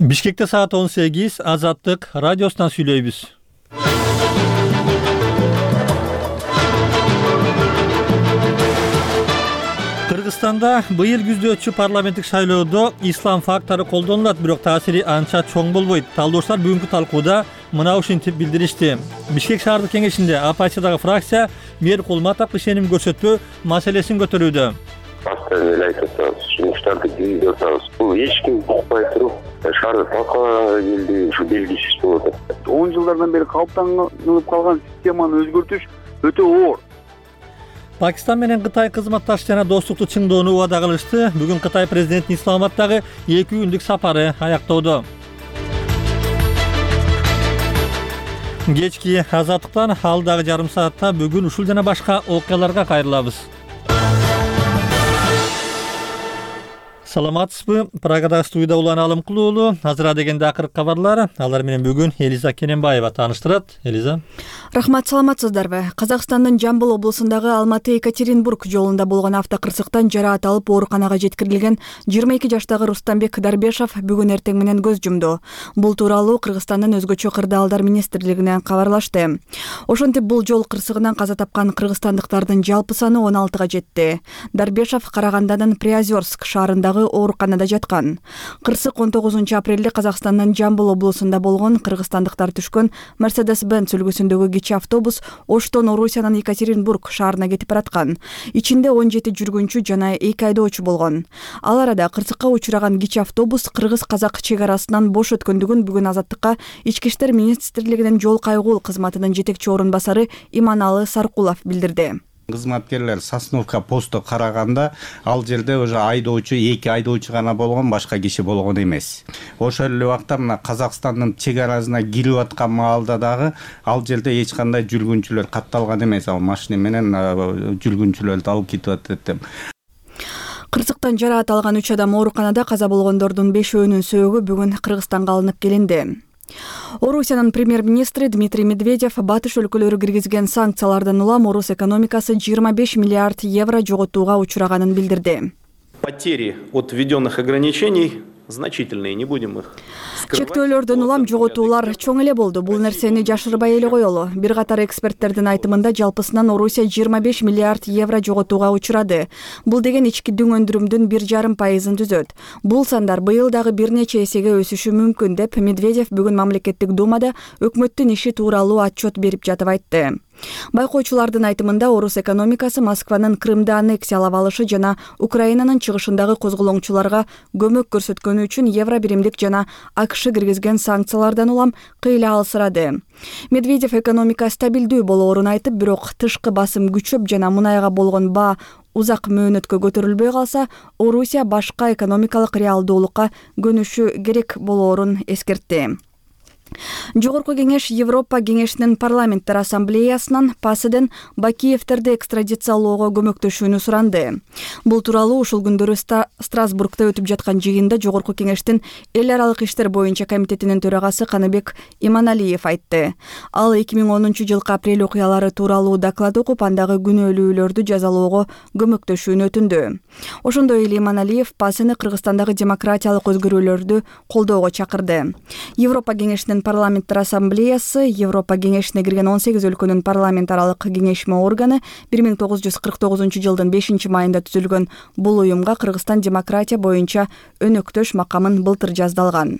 Бишкекте саат 18 Азаттык радиосунан сүйлөйбүз. Кыргызстанда быйыл күздөөчү парламенттик шайлоодо ислам фактору колдонулат, бирок таасири анча чоң болбойт. Талдоочулар бүгүнкү талкууда мына ушинтип билдиришти. Бишкек шаардык кеңешинде АПЧдагы фракция мэр Кулматов ишеним көрсөтпөө маселесин көтөрүүдө. Жумуштарды киргизип атабыз. Бул эч ким укпай туруп, шаарды талкалаганга келди, ушу белгисиз болуп атат. 10 жылдардан бери калыптанып калган системаны өзгөртүш өтө оор. Пакистан менен Кытай кызматташ жана достукту чыңдоону убада кылышты. Бүгүн Кытай президентинин Исламабаддагы 2 күндүк сапары аяктоодо. Кечки Азаттыктан алдагы жарым саатта бүгүн ушул жана башка окуяларга кайрылабыз. Саламатсызбы? Прагадагы студияда Улан Алымкулуулу. Азыра дегенде акыркы кабарлар. Алар менен бүгүн Элиза Кененбаева тааныштырат. Элиза. Рахмат, саламатсыздарбы? Казакстандын Жамбыл облусундагы Алматы-Екатеринбург жолунда болгон автокырсыктан жараат алып ооруканага жеткирилген 22 жаштагы Рустамбек Дарбешов бүгүн эртең менен көз жумду. Бул тууралуу Кыргызстандын өзгөчө кырдаалдар министрлигинен кабарлашты. Ошентип бул жол кырсыгынан каза тапкан кыргызстандыктардын жалпы саны 16га жетти. Дарбешов Караганданын Приозерск шаарындагы ооруканада жаткан. Кырсык 19 апрелде Казакстандын Жамбыл облусунда болгон кыргызстандыктар түшкөн Mercedes-Benz үлгүсүндөгү кичи автобус Оштон Орусиянын Екатеринбург шаарына кетип бараткан. Ичинде 17 жүргүнчү жана 2 айдоочу болгон. Ал арада кырсыкка учураган кичи автобус кыргыз-казак чек арасынан бош өткөндүгүн бүгүн Азаттыкка Ички иштер министрлигинин жол кайгул кызматынын жетекчи орун басары Иманалы Саркулов билдирди. Кызматкерлер Сосновка посту караганда ал жерде уже айдоочу 2 айдоочу гана болгон, башка киши болгон эмес. Ошол эле убакта мына Казакстандын чек арасына кирип аткан маалда дагы ал жерде эч кандай жүргүнчүлөр катталган эмес. Ал машина менен жүргүнчүлөрдү алып кетип атат деп. Кырсыктан жараат алган 3 адам ооруканада, каза болгондордун 5-өөнүн сөөгү бүгүн Кыргызстанга алынып келинди. Орусиянын премьер-министри Дмитрий Медведев батыш өлкөлөрү киргизген санкциялардан улам орус экономикасы 25 миллиард евро жоготууга учураганын билдирди. Потери от введенных ограничений значительные, не будем их скрывать. Чектөөлөрдөн улам жоготуулар чоң эле болду. Бул нерсени жашырбай эле коелу. Бир катар эксперттердин айтымында жалпысынан Орусия 25 миллиард евро жоготууга учурады. Бул деген ички дүң өндүрүмдүн 1,5% түзөт. Бул сандар быйыл дагы бир нече эсеге өсүшү мүмкүн деп Медведев бүгүн мамлекеттик думада өкмөттүн иши тууралуу отчет берип жатып айтты. Байкоочулардын айтымында орус экономикасы Москванын Крымды аннексиялап алышы жана Украинанын чыгышындагы козголоңчуларга көмөк көрсөткөнү үчүн евро биримдик жана АКШ киргизген санкциялардан улам кыйла алсырады. Медведев экономика стабилдүү болоорун айтып, бирок тышкы басым күчөп жана мунайга болгон баа узак мөөнөткө көтөрүлбөй калса, Орусия башка экономикалык реалдуулукка көнүшү керек болоорун эскертти. Жогорку кеңеш Европа кеңешинин парламенттер ассамблеясынан ПАСДен Бакиевтерди экстрадициялоого көмөктөшүүнү суранды. Бул тууралуу ушул күндөрү Страсбургда өтүп жаткан жыйында Жогорку кеңештин эл аралык иштер боюнча комитетинин төрагасы Каныбек Иманалиев айтты. Ал 2010 жылкы апрель окуялары тууралуу доклад окуп, андагы күнөөлүүлөрдү жазалоого көмөктөшүүнү өтүндү. Ошондой эле Иманалиев ПАСны Кыргызстандагы демократиялык өзгөрүүлөрдү колдоого чакырды. Европа кеңешинин парламенттер ассамблеясы Европа кеңешине кирген 18 өлкөнүн парламент аралык кеңешме органы 1949 жылдын 5 майында түзүлгөн бул уюмга Кыргызстан демократия боюнча өнөктөш макамын былтыр жаздалган.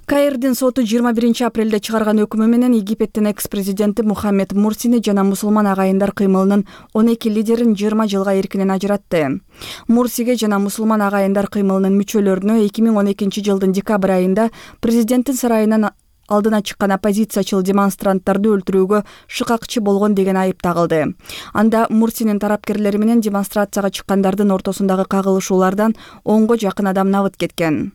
Каирдин соту 21 апрелде чыгарган өкүмү менен Египеттин экс-президенти Мухаммед Мурсини жана мусулман агайындар кыймылынын 12 лидерин 20 жылга эркинен ажыратты. Мурсиге жана мусулман агайындар кыймылынын мүчөлөрүнө 2012 жылдын декабрь айында президенттин сарайынан алдына чыккан оппозициячыл демонстранттарды өлтүрүүгө шыкакчы болгон деген айып тагылды. Анда Мурсинин тарапкерлери менен демонстрацияга чыккандардын ортосундагы кагылышуулардан 10го жакын адам набыт кеткен.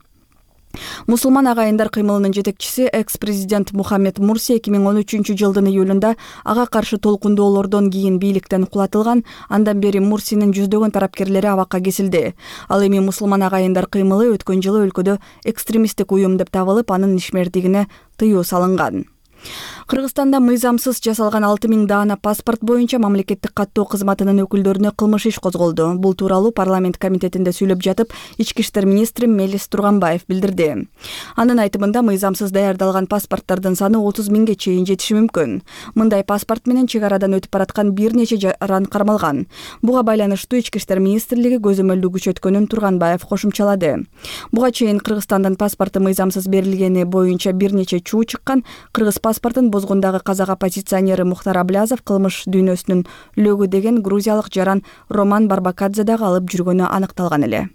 Мусулман агайындар кыймылынын жетекчиси экс-президент Мухаммед Мурси 2013 жылдын июлунда ага каршы толкундоолордон кийин бийликтен кулатылган. Андан бери Мурсинин жүздөгөн тарапкерлери абакка кесилди. Ал эми мусулман агайындар кыймылы өткөн жылы өлкөдө экстремисттик уюм деп табылып, анын ишмердигине тыюу салынган. Кыргызстанда мыйзамсыз жасалган 6000 даана паспорт боюнча мамлекеттик каттоо кызматынын өкүлдөрүнө кылмыш иш козголду. Бул тууралуу парламент комитетинде сүйлөп жатып, Ички иштер министри Мелис Турганбаев билдирди. Анын айтымында мыйзамсыз даярдалган паспорттардын саны 30 000ге чейин жетиши мүмкүн. Мындай паспорт менен чек арадан өтүп бараткан бир нече жаран кармалган. Буга байланыштуу Ички иштер министрлиги көзөмөлдүү күчөткөнүн Турганбаев кошумчалады. Буга чейин Кыргызстандын паспорту мыйзамсыз берилгени боюнча бир нече чуу чыккан. Кыргыз паспортун бозгондагы казак оппозиционери Мухтар Аблязов кылмыш дүйнөсүнүн лөгү деген грузиялык жаран Роман Барбакадзе дагы алып жүргөнү аныкталган эле.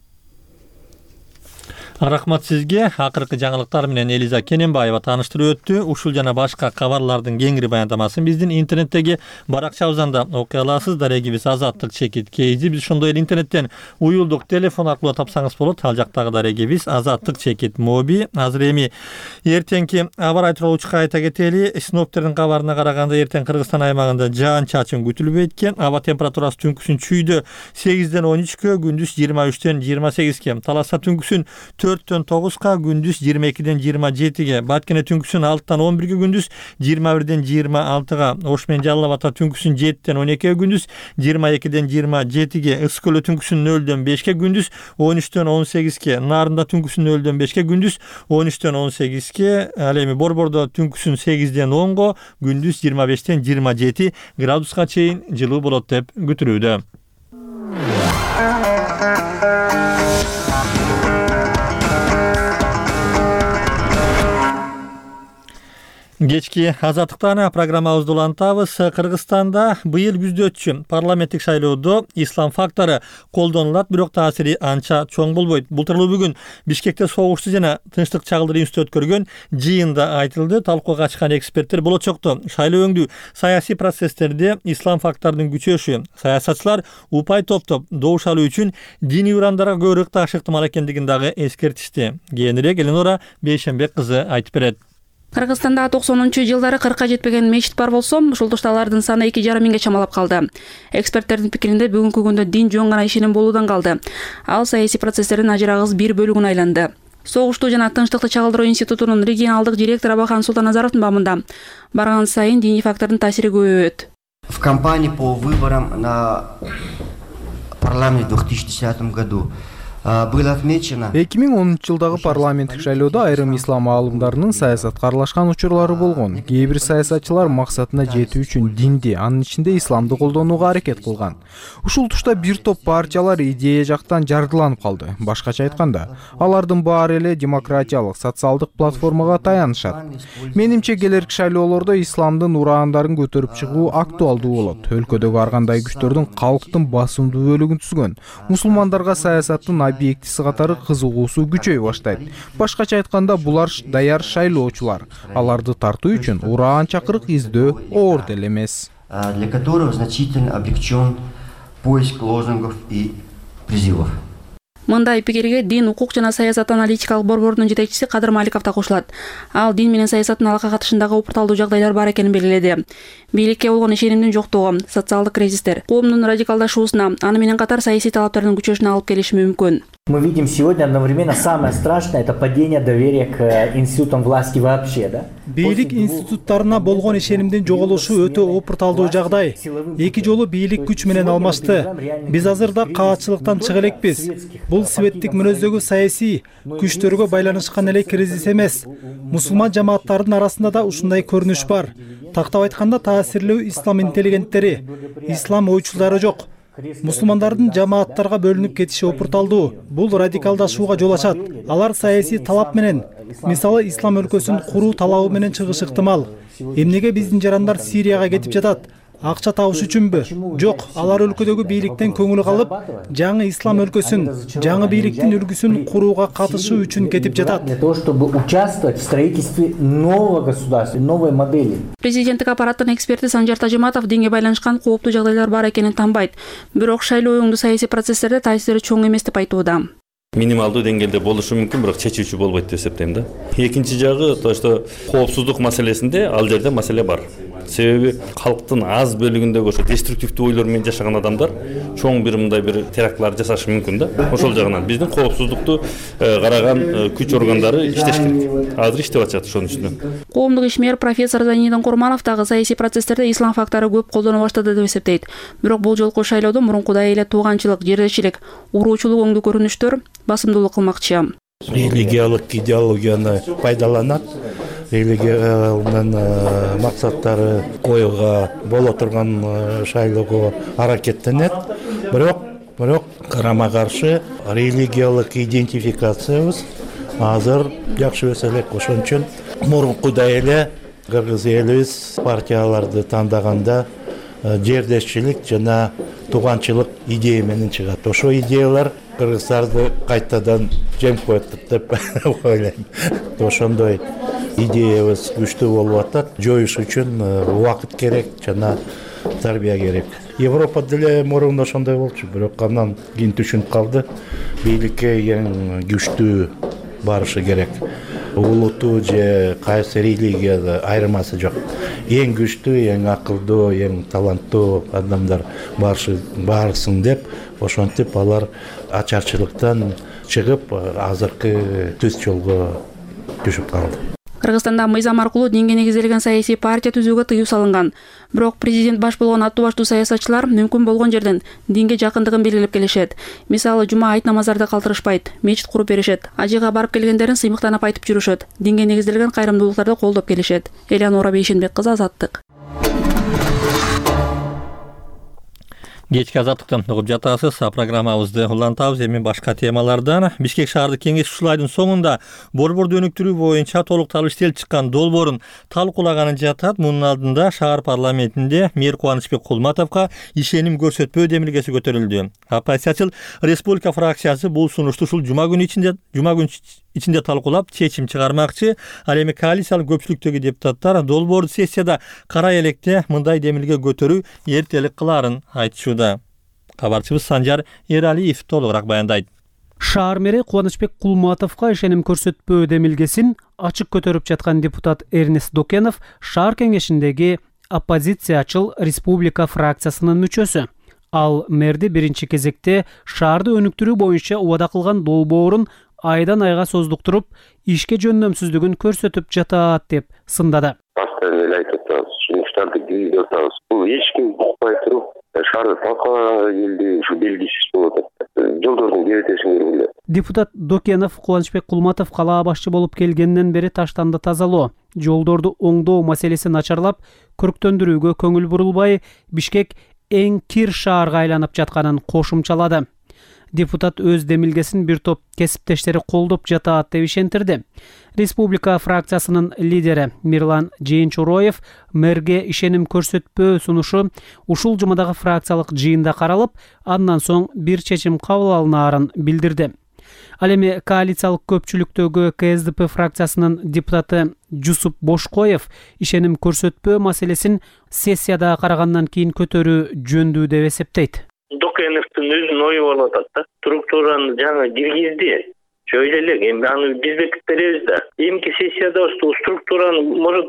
Рахмат сизге. Акыркы жаңылыктар менен Элиза Кененбаева тааныштырып өттү. Ушул жана башка кабарлардын кеңири баяндамасын биздин интернеттеги баракчабызда окуй аласыз. Дарегибиз Азаттык чекит KZ. Биз ошондой эле интернеттен уюлдук телефон аркылуу тапсаңыз болот. Ал жактагы дарегибиз Азаттык чекит моби. Азыр эми эртеңки аба рай тууралуу кайта кетели. Синоптиктердин кабарына караганда эртең Кыргызстан аймагында жаан-чачын күтүлбөйт экен. Аба температурасы түнкүсүн чүйдө 8ден 13кө, күндүз 23ден 28ке. Таласта түнкүсүн 4дөн 9ка, күндүз 22ден 27ге. Баткене түнкүсүн 6дан 11ге, күндүз 21ден 26га. Ош менен Жалал Абадта түнкүсүн 7ден 12ге, күндүз 22ден 27ге. Ысык көлдө түнкүсүн 0дөн 5ке, күндүз 13дөн 18ке. Нарында түнкүсүн 0дөн 5ке, күндүз 13дөн 18ке. Ал эми Борбордо түнкүсүн 8ден 10го, күндүз 25ден 27 градуска чейин жылуу болот деп күтүлүүдө. Кечки азаттыктан программабызды улантабыз. Кыргызстанда быйыл күздө өтчү парламенттик шайлоодо ислам фактору колдонулат, бирок таасири анча чоң болбойт. Бул тууралуу бүгүн Бишкекте согуштуу жана тынчтык чагылдыруу институту өткөргөн жыйында айтылды. Талкууга катышкан эксперттер болочокто шайлоо өңдүү саясий процесстерде ислам факторунун күчөшү, саясатчылар упай топтоп добуш алуу үчүн диний урамдарга көбүрөөк таашы ыктымал экендигин дагы эскертишти. Кийинирээк Эленора Бейшенбек кызы айтып берет. Кыргызстанда 90-жылдары 40ка жетпеген мечит бар болсо, ушул тушта алардын саны 2,5 миңге чамалап калды. Эксперттердин пикиринде бүгүнкү күндө дин жөн гана ишеним болуудан калды. Ал саясий процесстердин ажырагыс бир бөлүгүнө айланды. Согуштуу жана тынчтыкты чагылдыруу институтунун регионалдык директору Абахан Султаназаровдун баамында барган сайын диний фактордун таасири көбөйөт. В кампании по выборам на парламент в 2010 году было отмечено 2010-жылдагы парламенттик шайлоодо айрым ислам аалымдарынын саясатка аралашкан учурлары болгон. Кээ бир саясатчылар максатына жетүү үчүн динди, анын ичинде исламды колдонууга аракет кылган. Ушул тушта бир топ партиялар идея жактан жардыланып калды. Башкача айтканда, алардын баары эле демократиялык, социалдык платформага таянышат. Менимче келерки шайлоолордо исламдын ураандарын көтөрүп чыгуу актуалдуу болот. Өлкөдөгү ар кандай күчтөрдүн калктын басымдуу бөлүгүн түзгөн мусулмандарга саясаттын объектиси катары кызыгуусу күчөй баштайт. Башкача айтканда, булар даяр шайлоочулар. Аларды тартуу үчүн ураан чакырык издөө оор деле эмес. Для которого значительно облегчен поиск лозунгов и призывов. Мындай пикирге дин, укук жана саясат аналитикалык борборунун жетекчиси Кадыр Маликов да кошулат. Ал дин менен саясаттын алака катышындагы упурталдуу жагдайлар бар экенин белгиледи. Бийликке болгон ишенимдин жоктугу, социалдык кризистер, коомдун радикалдашуусуна, аны менен катар саясий талаптардын күчөшүнө алып келиши мүмкүн. Мы видим сегодня одновременно самое страшное — это падение доверия к институтам власти вообще, да? Бийлик институттарына болгон ишенимдин жоголушу өтө опурталдуу жагдай. Эки жолу бийлик күч менен алмашты. Биз азырда каатчылыктан чыга элекпиз. Бул светтик мүнөздөгү саясий күчтөргө байланышкан эле кризис эмес. Мусулман жамааттардын арасында да ушундай көрүнүш бар. Тактап айтканда, таасирлүү ислам интеллигенттери, ислам ойчулдары жок. Мусулмандардын жамааттарга бөлүнүп кетиши опурталдуу. Бул радикалдашууга жол ачат. Алар саясий талап менен, мисалы ислам өлкөсүн куруу талабы менен чыгышы ыктымал. Эмнеге биздин жарандар Сирияга кетип жатат? Акча табыш үчүнбү? Жок, алар өлкөдөгү бийликтен көңүл калып, жаңы ислам өлкөсүн, жаңы бийликтин үлгүсүн курууга катышуу үчүн кетип жатат. Для того, чтобы участвовать в строительстве нового государства, новой модели. Президенттик аппараттын эксперти Санжар Тажиматов динге байланышкан кооптуу жагдайлар бар экенин танбайт. Бирок шайлоо өңдүү саясий процесстерде таасири чоң эмес деп айтууда. минималдуу деңгээлде болушу мүмкүн, бирок чечүүчү болбойт деп эсептейм да. Экинчи жагы то, что коопсуздук маселесинде ал жерде маселе бар. Себеби калктын аз бөлүгүндөгү ошо деструктивдүү ойлор менен жашаган адамдар чоң бир мындай бир терактлар жасашы мүмкүн да. Ошол жагынан биздин коопсуздукту караган күч органдары иштеш керек. Азыр иштеп атышат ошонун үстүнө. Коомдук ишмер профессор Зайнидин Курманов дагы саясий процесстерде ислам фактору көп колдоно баштады деп эсептейт. Бирок бул жолку шайлоодо мурункудай эле тууганчылык, жердешчилик, уруучулук өңдүү көрүнүштөр басымдуулук кылмакчы. Религиялык идеологияны пайдаланат. Религиянын максаттары коюуга боло турган шайлоого аракеттенет. Бирок карама каршы религиялык идентификациябыз азыр жакшы эмес элек. Ошон үчүн мурункудай эле кыргыз элибиз партияларды тандаганда жердешчилик жана тууганчылык идея менен чыгат. Ошо идеялар кыргыздарды кайтадан жем коет деп ойлойм. Ошондой идеябыз күчтүү болуп атат. Жоюш үчүн убакыт керек жана тарбия керек. Европа деле мурун ошондой болчу, бирок андан кийин түшүнүп калды. Бийликке эң күчтүү барышы керек. Улуттуу же кайсы религияда айырмасы жок. Эң күчтүү, эң акылдуу, эң таланттуу адамдар барсын деп, ошентип алар ачарчылыктан чыгып, азыркы түз жолго түшүп калды. Кыргызстанда мыйзам аркылуу динге негизделген саясий партия түзүүгө тыюу салынган. Бирок президент баш болгон аттуу баштуу саясатчылар мүмкүн болгон жерден динге жакындыгын белгилеп келишет. Мисалы, жума айт намаздарды калтырышпайт, мечит куруп беришет, ажыга барып келгендерин сыймыктанып айтып жүрүшөт. Динге негизделген кайрымдуулуктарды колдоп келишет. Элеонора Бейшенбек кызы, Азаттык. Кечки азаттыктан угуп жатасыз. Программабызды улантабыз. Эми башка темалардан. Бишкек шаардык кеңеш ушул айдын соңунда борборду өнүктүрүү боюнча толукталуу иштелип чыккан долбоорун талкуулаганын жатат. Мунун алдында шаар парламентинде мэр Кубанычбек Кулматовго ишеним көрсөтпөө демилгеси көтөрүлдү. Оппозициячыл Республика фракциясы бул сунушту ушул жума күнү ичинде талкуулап чечим чыгармакчы. Ал эми коалициялык көпчүлүктөгү депутаттар долбоорду сессияда карай электе мындай демилге көтөрүү эртелик кылаарын айтышууда. Кабарчыбыз Санжар Эралиев толугураак баяндайт. Шаар мэри Кубанычбек Кулматовго ишеним көрсөтпөө демилгесин ачык көтөрүп жаткан депутат Эрнест Докенов шаар кеңешиндеги оппозициячыл Республика фракциясынын мүчөсү. Ал мэрди биринчи кезекте шаарды өнүктүрүү боюнча убада кылган долбоорун айдан айга создуктуруп, ишке жөндөмсүздүгүн көрсөтүп жатат деп сындады. Постоянно айтып атабыз, сунуштарды киргизип атабыз. Бул эч ким укпай туруп, шаарды талкуулаганга келди, ушу белгисиз болуп атат. Жолдордун керетесин көргүлө. Депутат Докенов Кубанычбек Кулматов калаа башчы болуп келгенден бери таштанды тазалоо, жолдорду оңдоо маселеси начарлап, көрктөндүрүүгө көңүл бурулбай, Бишкек эң кир шаарга айланып жатканын кошумчалады. Депутат өз демилгесин бир топ кесиптештери колдоп жатат деп ишентирди. Республика фракциясынын лидери Мирлан Жээнчуроев мэрге ишеним көрсөтпөө сунушу ушул жумадагы фракциялык жыйында каралып, андан соң бир чечим кабыл алынаарын билдирди. Ал эми коалициялык көпчүлүктөгү КСДП фракциясынын депутаты Жусуп Бошкоев ишеним көрсөтпөө маселесин сессияда карагандан кийин көтөрүү жөндүү деп эсептейт. Докеновдун өзүнүн ою болуп атат да. Структураны жаңы киргизди. Шöyle элек, эми аны биз бекитип беребиз да. Эмки сессияда ушул структураны может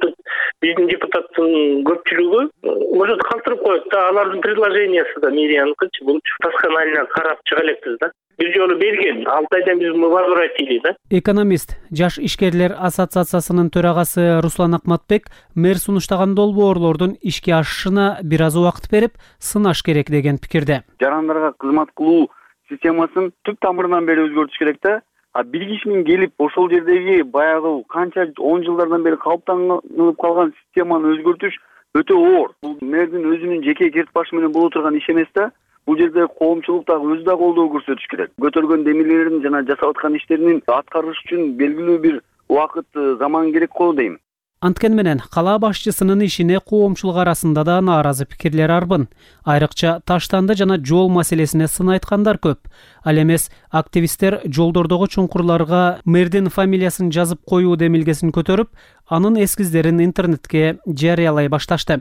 биздин депутаттын көпчүлүгү может калтырып коет да. Алардын предложениясы да мэрияныкычы бул досконально карап чыга элекпиз да. Бир жолу берген, 6 айдан биз возвратили да. Экономист, Жаш ишкерлер ассоциациясынын төрагасы Руслан Акматбек мэр сунуштаган долбоорлордун ишке ашышына бир аз убакыт берип, сынаш керек деген пикирде. Жарандарга кызмат кылуу системасын түп тамырынан бери өзгөртүш керек да. Бир кишинин келип ошол жердеги баягы канча 10 жылдардан бери калыптанып калган системаны өзгөртүш өтө оор. Бул мэрдин өзүнүн жеке керт башы менен боло турган иш эмес да. Бул жерде коомчулук дагы өзү да колдоо көрсөтүш керек. Көтөргөн демилерин жана жасап аткан иштерин аткарыш үчүн белгилүү бир убакыт, заман керек го дейм. Анткени менен калаа башчысынын ишине коомчулук арасында да нааразы пикирлер арбын. Айрыкча Таштанды жана жол маселесине сын айткандар көп. Ал эмес активисттер жолдордогу чуңкурларга мэрдин фамилиясын жазып коюу демилгесин көтөрүп, анын эскиздерин интернетке жарыялай башташты.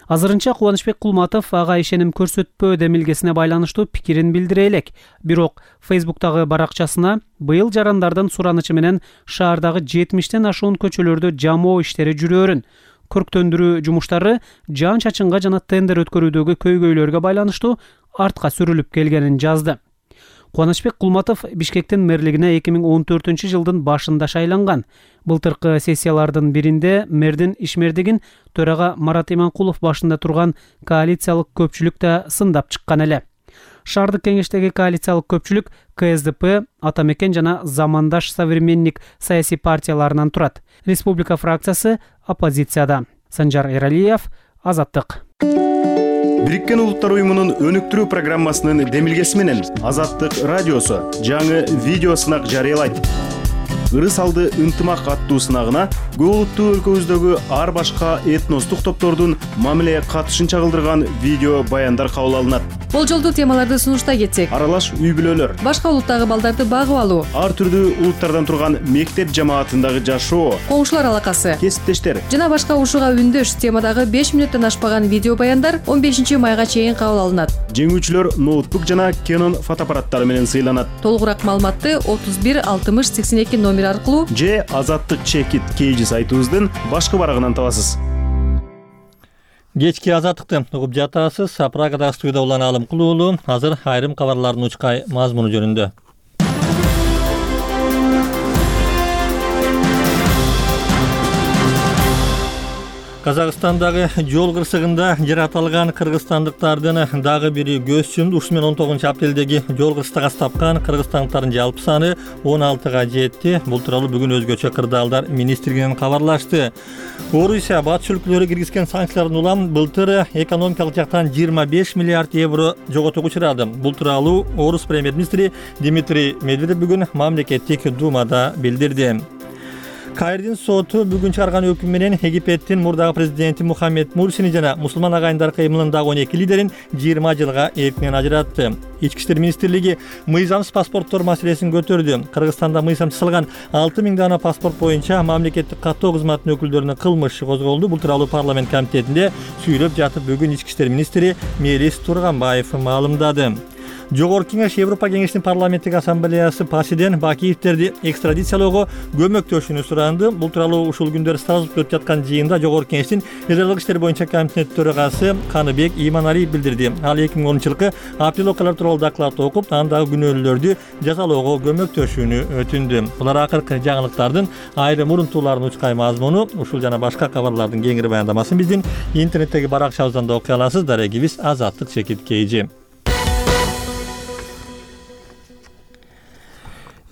Азырынча Кубанычбек Кулматов ага ишеним көрсөтпөө демилгесине байланыштуу пикирин билдире элек. Бирок Facebook'тагы баракчасына быйыл жарандардын суранычы менен шаардагы 70тен ашуун көчөлөрдө жамоо иштери жүрөөрүн, көрктөндүрүү жумуштары жан чачынга жана тендер өткөрүүдөгү көйгөйлөргө байланыштуу артка сүрүлүп келгенин жазды. Кубанычбек Кулматов Бишкектин мэрлигине 2014-жылдын башында шайланган. Былтыркы сессиялардын биринде мэрдин ишмердигин төрага Марат Иманкулов башында турган коалициялык көпчүлүк да сындап чыккан эле. Шаардык кеңештеги коалициялык көпчүлүк КСДП, Атамекен жана Замандаш Современник саясий партияларынан турат. Республика фракциясы оппозицияда. Санжар Эралиев, Азаттык. Бириккен Улуттар уюмунун өнүктүрүү программасынын демилгеси менен Азаттык радиосу жаңы видео сынак жарыялайт. Ырыс алды ынтымак аттуу сынагына көп улуттуу өлкөбүздөгү ар башка этностук топтордун мамиле катышын чагылдырган видео баяндар кабыл алынат. Болжолдуу темаларды сунуштай кетсек: аралаш үй бүлөлөр, башка улуттагы балдарды багып алуу, ар түрдүү улуттардан турган мектеп жамаатындагы жашоо, коңшулар алакасы, кесиптештер жана башка ушуга үндөш темадагы 5 мүнөттөн ашпаган видео баяндар 15-майга чейин кабыл алынат. Жеңүүчүлөр ноутбук жана Canon фотоаппараттары менен сыйланат. Толугураак маалыматты 31 60 82 номер аркылуу же Азаттык чекит KG сайтыбыздын башкы барагынан табасыз. Кечки Азаттыкты угуп жатасыз. Прагада студияда улан Алым Кулуулу. Азыр айрым кабарлардын учкай мазмуну жөнүндө. Казакстандагы жол кырсыгында жаратылган кыргызстандыктардын дагы бири көз чумду. Ушу менен 19-апрелдеги жол кырсыгы тапкан кыргызстандыктардын жалпы саны 16га жетти. Бул тууралуу бүгүн өзгөчө кырдаалдар министрлигинен кабарлашты. Орусия батыш өлкөлөрү киргизген санкциялардан улам былтыр экономикалык жактан 25 миллиард евро жоготууга учурады. Бул тууралуу Орус премьер-министри Дмитрий Медведев бүгүн мамлекеттик думада билдирди. Кайрдин соту бүгүн чыгарган өкүм менен Египеттин мурдагы президенти Мухаммед Мурсини жана мусулман агайындар кыймылындагы 12 лидерин 20 жылга эркинен ажыратты. Ички иштер министрлиги мыйзамсыз паспорттор маселесин көтөрдү. Кыргызстанда мыйзам жасалган 6000 дана паспорт боюнча мамлекеттик каттоо кызматынын өкүлдөрүнө кылмыш козголду. Бул тууралуу парламент комитетинде сүйлөп жатып бүгүн ички иштер министри Мелис Турганбаев маалымдады. Жогорку кеңеш Европа кеңешинин парламенттик ассамблеясы Пасиден Бакиевтерди экстрадициялоого көмөктөшүүнү суранды. Бул тууралуу ушул күндөр Страсбургда өтүп жаткан жыйында Жогорку кеңештин эдарлык иштер боюнча комитет төрагасы Каныбек Иманалиев билдирди. Ал 2010-жылкы апрель окуялар тууралуу доклад окуп, андагы күнөөлүүлөрдү жазалоого көмөктөшүүнү өтүндү. Булар акыркы жаңылыктардын айрым урунтууларын учкай мазмуну. Ушул жана башка кабарлардын кеңири баяндамасын биздин интернеттеги баракчабыздан да окуй аласыз. Дарегибиз Азаттык чекит KG.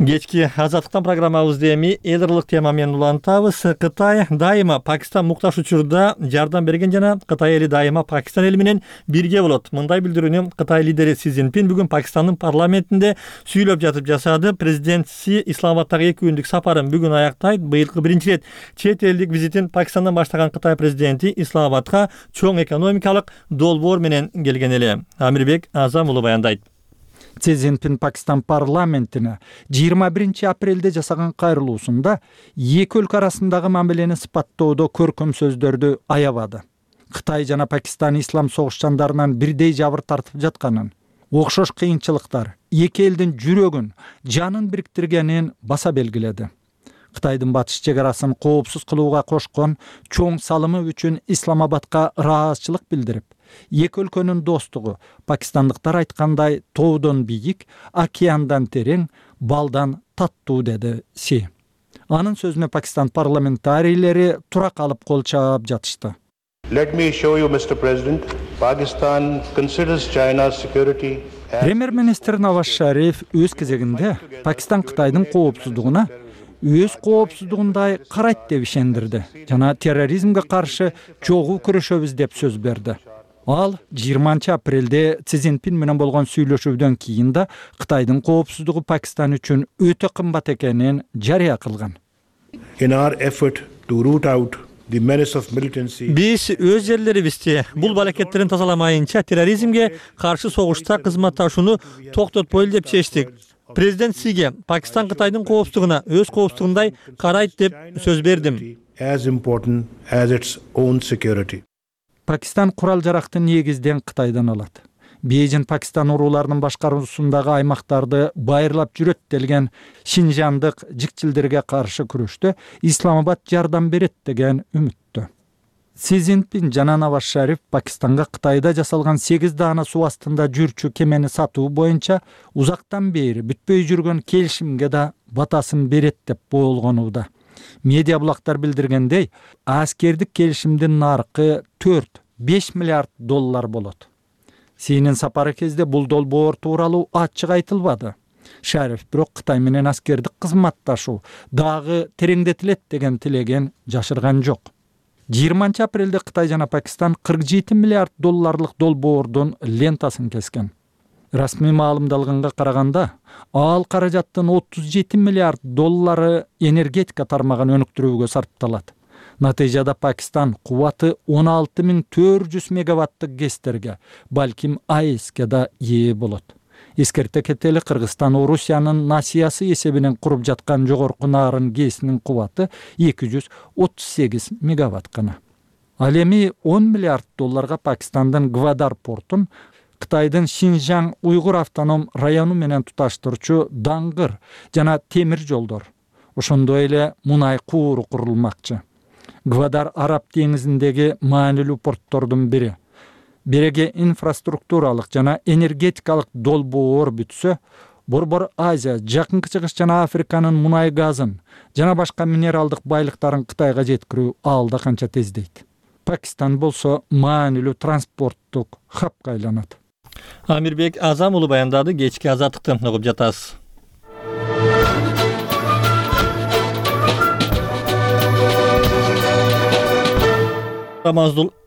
Кечки Азаттыктан программабызды эми элдерлык тема менен улантабыз. Кытай дайыма Пакистан муктаж учурда жардам берген жана Кытай эли дайыма Пакистан эли менен бирге болот. Мындай билдирүүнү Кытай лидери Си Цзиньпин бүгүн Пакистандын парламентинде сүйлөп жатып жасады. Президент Си Исламабадтагы 2 күндүк сапарын бүгүн аяктайт. Быйылкы биринчи ирет чет элдик визитин Пакистандан баштаган Кытай президенти Исламабадка чоң экономикалык долбоор менен келген эле. Амирбек Азам уулу баяндайт. Си Цзиньпин Пакистан парламентине 21 апрелде жасаган кайрылуусунда эки өлкө арасындагы мамилени сыпаттоодо көркөм сөздөрдү аябады. Кытай жана Пакистан ислам согушчандарынан бирдей жабыр тартып жатканын, окшош кыйынчылыктар эки элдин жүрөгүн, жанын бириктиргенин баса белгиледи. Кытайдын батыш чек арасын коопсуз кылууга кошкон чоң салымы үчүн Исламабадка ыраазычылык билдирип, эки өлкөнүн достугу пакистандыктар айткандай тоодон бийик, океандан терең, балдан таттуу деди Си. Анын сөзүнө Пакистан парламентарийлери тура калып кол чаап жатышты. Let me show you, Mr. President, Pakistan considers China's security. Премьер-министр Наваз Шариф өз кезегинде Пакистан Кытайдын коопсуздугуна өз коопсуздугундай карайт деп ишендирди жана терроризмге каршы чогуу күрөшөбүз деп сөз берди. Ал 20 апрелде Си Цзиньпин менен болгон сүйлөшүүдөн кийин да Кытайдын коопсуздугу Пакистан үчүн өтө кымбат экенин жарыя кылган. In our effort to root out the menace of militancy. Биз өз жерлерибизде бул балакеттерин тазаламайынча терроризмге каршы согушта кызматташууну токтотпойлу деп чечтик. Президент Сиге Пакистан Кытайдын коопсуздугуна өз коопсуздугундай карайт деп сөз бердим. as important as its own security. Пакистан курал жаракты негизден Кытайдан алат. Бейжин Пакистан урууларынын башкаруусундагы аймактарды байырлап жүрөт делген Шинжандык жикчилдерге каршы күрөштө Исламабад жардам берет деген үмүттө. Си Цзиньпин жана Наваз Шариф Пакистанга Кытайда жасалган 8 даана суу астында жүрчү кемени сатуу боюнча узактан бери бүтпөй жүргөн келишимге да батасын берет деп болгонууда. Медиа булактар билдиргендей, аскердик келишимдин наркы 4-5 миллиард доллар болот. Синин сапары кезде бул долбоор тууралуу ачык айтылбады. Шариф бирок Кытай менен аскердик кызматташуу дагы тереңдетилет деген тилеген жашырган жок. 20 апрелде Кытай жана Пакистан 47 миллиард долларлык долбоордун лентасын кескен. Расмий маалымдалганга караганда, ал каражаттын 37 миллиард доллары энергетика тармагын өнүктүрүүгө сарпталат. Натыйжада Пакистан кубаты 16400 мегаваттык гэстерге, балким АЭСке да ээ болот. Эскерте кетели, Кыргызстан Орусиянын насиясы эсебинен куруп жаткан жогорку нарын гэсинин кубаты 238 мегаватт гана. Ал эми 10 миллиард долларга Пакистандын Гвадар портун Кытайдын Шинжаң уйгур автоном району менен туташтырчу даңгыр жана темир жолдор, ошондой эле мунай кууру курулмакчы. Гвадар Араб деңизиндеги маанилүү порттордун бири. Береге инфраструктуралык жана энергетикалык долбоор бүтсө, Борбор Азия, Жакынкы Чыгыш жана Африканын мунай газын жана башка минералдык байлыктарын Кытайга жеткирүү алда канча тездейт. Пакистан болсо маанилүү транспорттук хабка айланат. Амирбек Азам уулу баяндады. Кечки азаттыкты угуп жатасыз.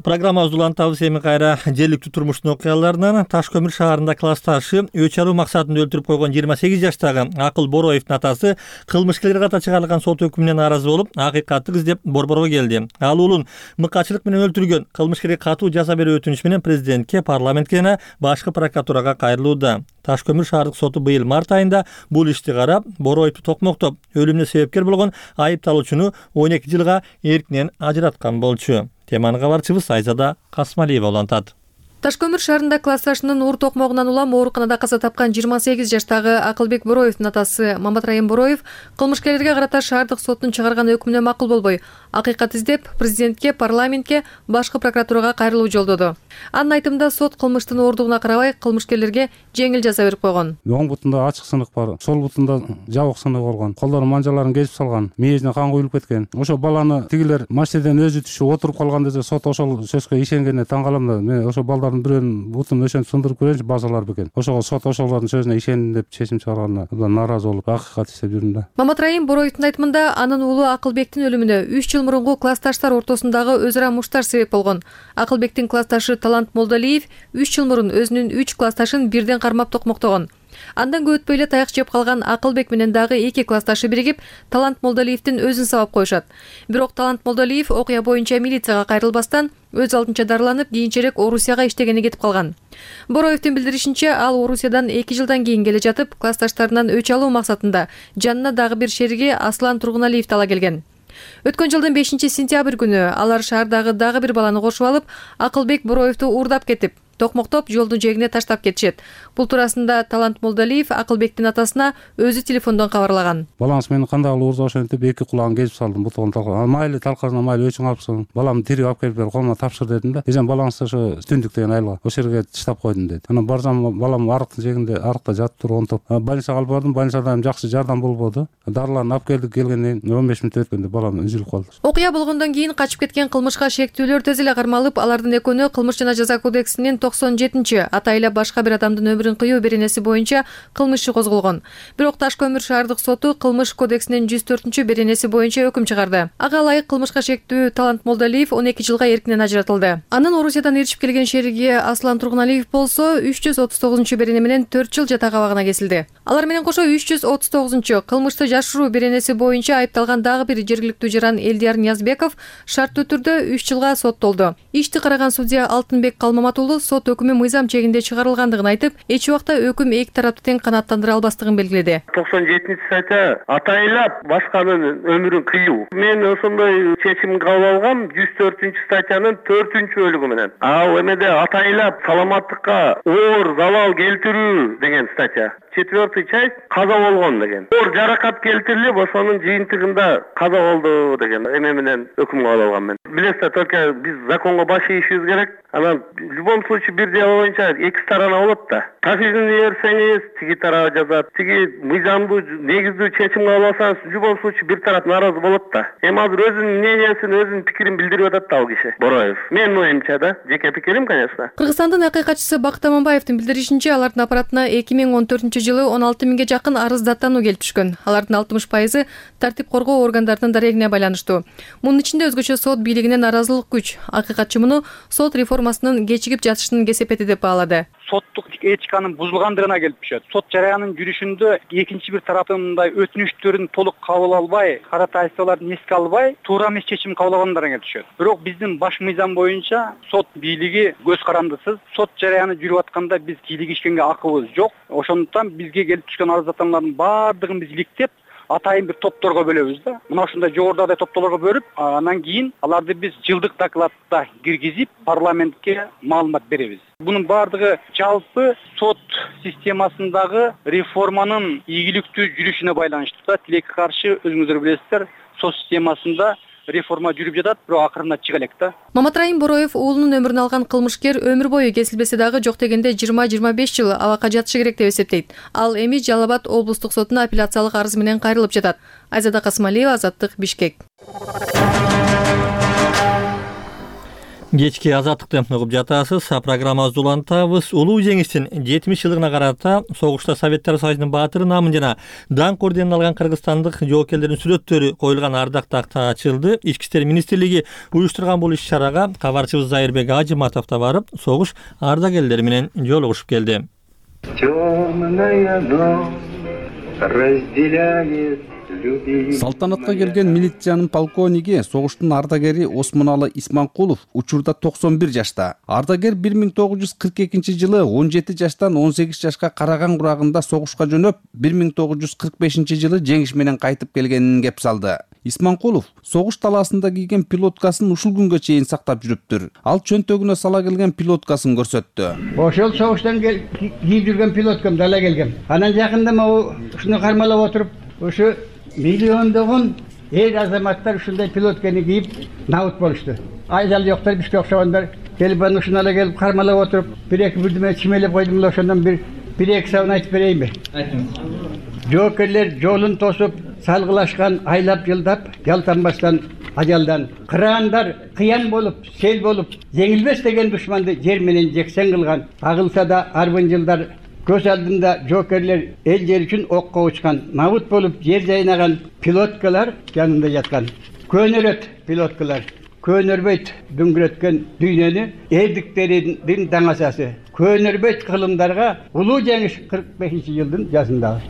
Программабыз улантабыз эми кайра жергиликтүү турмуштун окуяларынан. Таш көмүр шаарында классташы өч алуу максатында өлтүрүп койгон 28 жаштагы Акыл Бороевдун атасы кылмышкерлер ката чыгарылган сот өкүмүнө нааразы болуп, акыйкатты издеп борборго келди. Ал уулун мыкачылык менен өлтүргөн, кылмышкерге катуу жаза берүү өтүнүш менен президентке, парламентке жана башкы прокуратурага кайрылууда. Таш көмүр шаардык соту быйыл март айында бул ишти карап, Бороевду токмоктоп, өлүмүнө себепкер болгон айыпталуучуну 12 жылга эркинен ажыраткан болчу. Теманы кабарчыбыз Айзада Касмалиева улантат. Ташкөмүр шаарында классташынын уур токмогунан улам ооруканада каза тапкан 28 жаштагы Акылбек Бороевдун атасы Маматрайым Бороев кылмышкерлерге карата шаардык соттун чыгарган өкүмүнө макул болбой, акыйкат издеп, президентке, парламентке, башкы прокуратурага кайрылуу жолдоду. Анын айтымында сот кылмыштын ооругуна карабай кылмышкерлерге жеңил жаза берип койгон. Оң бутунда ачык сынык бар, сол бутунда жабык сынык болгон. Колдору манжаларын кесип салган, мээжине кан куюлуп кеткен. Ошо баланы тигилер машинеден өзү түшүп отуруп калган десе, сот ошол сөзгө ишенгенине таң калам да. Мен ошо балдардын бирөөнүн бутун өшөнүп сындырып көрөчү базалар бекен. Ошого сот ошолордун сөзүнө ишендим деп чечим чыгарганына нааразы болуп, акыйкат издеп жүрдүм да. Маматрайым Бороевдун айтымында анын уулу Акылбектин өлүмүнө 3 жыл мурунку классташтар ортосундагы өз ара муштар себеп болгон. Акылбектин классташы Талант Молдалиев 3 жыл мурун өзүнүн 3 классташын бирден кармап токмоктогон. Андан көп өтпөй эле таяк жеп калган Акылбек менен дагы 2 классташы биригип Талант Молдалиевдин өзүн сабап коюшат. Бирок Талант Молдалиев окуя боюнча милицияга кайрылбастан өз алдынча дарыланып, кийинчерээк Орусияга иштегени кетип калган. Бороевдин билдиришинче, ал Орусиядан 2 жылдан кийин келе жатып, классташтарынан өч алуу максатында жанына дагы бир шериги Аслан Тургуналиевди ала келген. Өткөн жылдын 5-сентябрь күнү алар шаардагы дагы бир баланы кошуп алып, Акылбек Бороевду уурдап кетип, токмоктоп жолдун жээгине таштап кетишет. Бул туурасында Талант Молдалиев Акылбектин атасына өзү телефондон кабарлаган. Балаңыз мени кандай уурдап ошентип деп 2 кулагын кесип салдым, бутугун талкан. Майли талкасына майли өчүң алыпсың. Баламды тирүү алып келип бер, колума тапшыр дедим да. Эжем балаңыз ошо Түндүк деген айылга ошол жерге таштап койдум деди. Анан барсам балам арыктын жээгинде арыкта жатып туруп онтоп. Больницага алып бардым, больницадан жакшы жардам болбоду. Дарыларын алып келдик, келгенден 15 мүнөт өткөндө балам үзүлүп калды. Окуя болгондон кийин качып кеткен кылмышка шектүүлөр тез эле кармалып, алардын экөөнү кылмыш жана жаза кодексинин 97 атайла башка бир адамдын өмүрүн кыюу беренеси боюнча кылмыш иши козголгон. Бирок Ташкөмүр шаардык соту кылмыш кодексинин 104 беренеси боюнча өкүм чыгарды. Ага ылайык кылмышка шектүү Талант Молдалиев 12 жылга эркинен ажыратылды. Анын Орусиядан ээрчип келген шериги Аслан Тургуналиев болсо 339 берене менен 4 жыл жата абагына кесилди. Алар менен кошо 339 кылмышты жашыруу беренеси боюнча айыпталган дагы бир жергиликтүү жаран Элдияр Ниязбеков шарттуу түрдө 3 жылга соттолду. Ишти караган судья Алтынбек Калмаматулу сот сот өкүмү мыйзам чегинде чыгарылгандыгын айтып, эч убакта өкүм эки тарапты тең канааттандыра албастыгын белгиледи. 97-статья атайлап башканын өмүрүн кыюу. Мен ошондой чечим кабыл алгам 104-статьянын 4-бөлүгү менен. Ал эмеде атайлап саламаттыкка оор залал келтирүү деген статья. 4-й часть каза болгон деген. Оор жаракат келтирилип, ошонун жыйынтыгында каза болду деген эме менен өкүм кабыл алгам мен. Билесиздер, только биз законго баш ийишибиз керек. Анан в любом случае бир дело боюнча эки сторона болот да. Тафсилini берсеңиз, тиги тарап жазат. Тиги мыйзамдуу негиздүү чечим кабыл алсаңыз, в любом случае бир тарап нааразы болот да. Эми азыр өзүнүн мнениясын, өзүнүн пикирин билдирип атат да ал киши. Бороев. Менин оюмча да, жеке пикирим, конечно. Кыргызстандын акыйкатчысы Бакыт Аманбаевдин билдиришинче, алардын аппаратына 2014-жылы 16 миңге жакын арыз даттануу келип түшкөн. Алардын 60% тартип коргоо органдарынын дарегине байланыштуу. Мунун ичинде өзгөчө сот бийлигинен наразылык күч. Акыйкатчы муну сот реформасынын кечигип жатышынын кесепети деп баалады. Соттук этиканын бузулгандыгына келип түшөт. Сот жараянын жүрүшүндө экинчи бир тараптын мындай өтүнүштөрүн толук кабыл албай, каратайсаларды эске албай, туура эмес чечим кабыл алгандарына келип түшөт. Бирок биздин баш мыйзам боюнча сот бийлиги көз карандысыз. Сот жараяны жүрүп атканда биз кийлигишкенге акыбыз жок. Ошондуктан бизге келип түшкөн арыздатмалардын баардыгын биз иликтеп, атайын бир топторго бөлөбүз да. Мына ушундай жогорудагы топторлорго бөлүп, анан кийин аларды биз жылдык докладта киргизип, парламентке маалымат беребиз. Бунун баардыгы жалпы сот системасындагы реформанын ийгиликтүү жүрүшүнө байланыштуу да. Тилекке каршы өзүңүздөр билесиздер, сот системасында реформа жүрүп жатат, бирок акырында чыга элек да. Маматрайым Бороев уулунун өмүрүн алган кылмышкер өмүр бою кесилбесе дагы жок дегенде 20-25 жыл абакка жатышы керек деп эсептейт. Ал эми Жалал Абад облустук сотуна апелляциялык арыз менен кайрылып жатат. Айзада Касымалиева, Азаттык, Бишкек. Кечки азаттыкты угуп жатасыз. Программабызды улантабыз. Улуу жеңиштин 70 жылдыгына карата согушта Советтер Союзунун баатыры намын жана даңк орденин алган кыргызстандык жоокерлердин сүрөттөрү коюлган ардак такта ачылды. Ички иштер министрлиги уюштурган бул иш-чарага кабарчыбыз Зайырбек Ажыматов да барып, согуш ардагерлери менен жолугушуп келди. Салтанатка келген милициянын полковниги, согуштун ардагери Осмоналы Исманкулов учурда 91 жашта. Ардагер 1942-жылы 17 жаштан 18 жашка Караган курагында согушка жөнөп, 1945-жылы жеңиш менен кайтып келгенин кеп салды. Исманкулов согуш талаасында кийген пилоткасын ушул күнгө чейин сактап жүрүптүр. Ал чөнтөгүнө сала келген пилоткасын көрсөттү. Ошол согуштан кийип жүргөн пилоткам дала келгем. Анан жакында ушуну кармалап отуруп, ушу миллиондогон эл азаматтар ушундай пилотканы кийип набыт болушту. Айдал жоктор, бизге окшогондар келип анан ушуну ала келип кармалап отуруп, бир-эки бирдеме чимелеп койдум эле, ошондон бир-эки сабын айтып берейинби? Айтыңыз. Жоокерлер жолун тосуп, салгылашкан айлап жылдап, жалтанбастан ажалдан. Кыраандар кыян болуп, сел болуп, жеңилбес деген душманды жер менен жексен кылган. Агылса да арбын жылдар көз алдында жоокерлер эл жер үчүн окко учкан. Набыт болуп жер жайнаган пилоткалар жанында жаткан. Көнөрөт пилоткалар. Көнөрбөйт дүңгүрөткөн дүйнөнү элдиктердин даңасасы. Көнөрбөйт кылымдарга улуу жеңиш 45-жылдын жазындагы.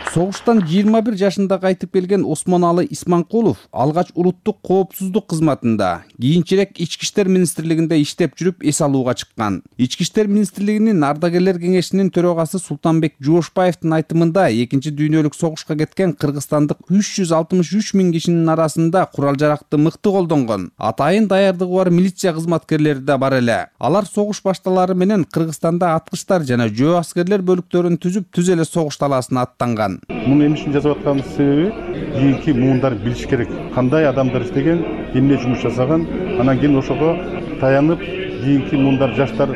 Согуштан 21 жашында кайтып келген Осмоналы Исманкулов алгач улуттук коопсуздук кызматында, кийинчерээк Ички иштер министрлигинде иштеп жүрүп эс алууга чыккан. Ички иштер министрлигинин ардагерлер кеңешинин төрагасы Султанбек Жуошбаевдин айтымында, экинчи дүйнөлүк согушка кеткен кыргызстандык 363 миң кишинин арасында курал жаракты мыкты колдонгон, атайын даярдыгы бар милиция кызматкерлери да бар эле. Алар согуш башталары менен Кыргызстанда аткычтар жана жөө аскерлер бөлүктөрүн түзүп, түз эле согуш талаасына аттанган. Муну эмне үчүн жазып атканыбыз себеби, кийинки муундар билиш керек. Кандай адамдар иштеген, эмне жумуш жасаган, анан кийин ошого таянып, кийинки муундар жаштар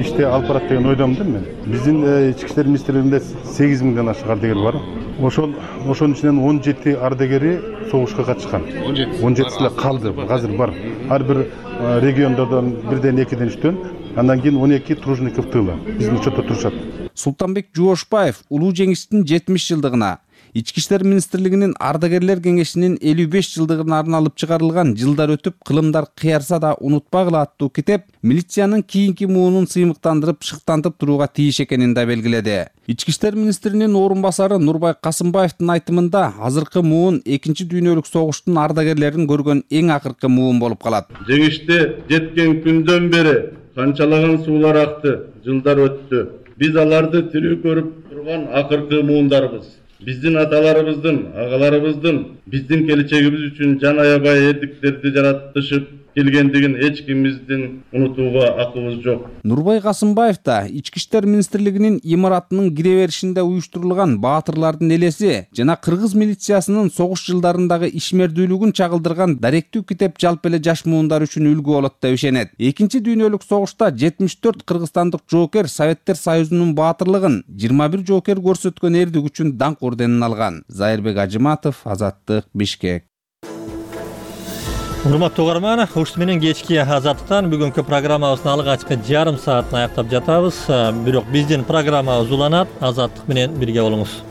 иште алып барат деген ойдомун да мен. Биздин ички иштер министрлигинде 8 миңден ашык ардагер бар. Ошонун ичинен 17 ардагери согушка катышкан. 17 эле калды, азыр бар. Ар бир региондордон бирден, экиден, үчтөн, андан кийин 12 Тружников тыла. Биздин учетто турушат. Султанбек Жуошбаев улуу жеңиштин 70 жылдыгына, Ички иштер министрлигинин ардагерлер кеңешинин 55 жылдыгына арналып чыгарылган жылдар өтүп кылымдар кыярса да унутпагыла аттуу китеп милициянын кийинки муунун сыймыктандырып, шыктантып турууга тийиш экенин да белгиледи. Ички иштер министринин орун басары Нурбай Касымбаевдин айтымында, азыркы муун экинчи дүйнөлүк согуштун ардагерлерин көргөн эң акыркы муун болуп калат. Жеңиште жеткен күндөн бери канчалаган суулар акты, жылдар өттү. Биз аларды тирүү көрүп турган акыркы муундарбыз. Биздин аталарыбыздын, агаларыбыздын биздин келечегибиз үчүн жан аябай эрдиктерди жаратышып келгендигин эч кимибиздин унутууга акыбыз жок. Нурбай Касымбаев да Ички иштер министрлигинин имаратынын кире беришинде уюштурулган баатырлардын элеси жана кыргыз милициясынын согуш жылдарындагы ишмердүүлүгүн чагылдырган даректүү китеп жалпы эле жаш муундар үчүн үлгү болот деп ишенет. Экинчи дүйнөлүк согушта 74 кыргызстандык жоокер Советтер Союзунун баатырлыгын, 21 жоокер көрсөткөн эрдик үчүн даңк орденин алган. Зайырбек Ажыматов, Азаттык, Бишкек. Урматтуу угарман, ушул менен кечки Азаттыктан бүгүнкү программабыздын алгачкы жарым саатын аяктап жатабыз. Бирок биздин программабыз уланат. Азаттык менен бирге болуңуз.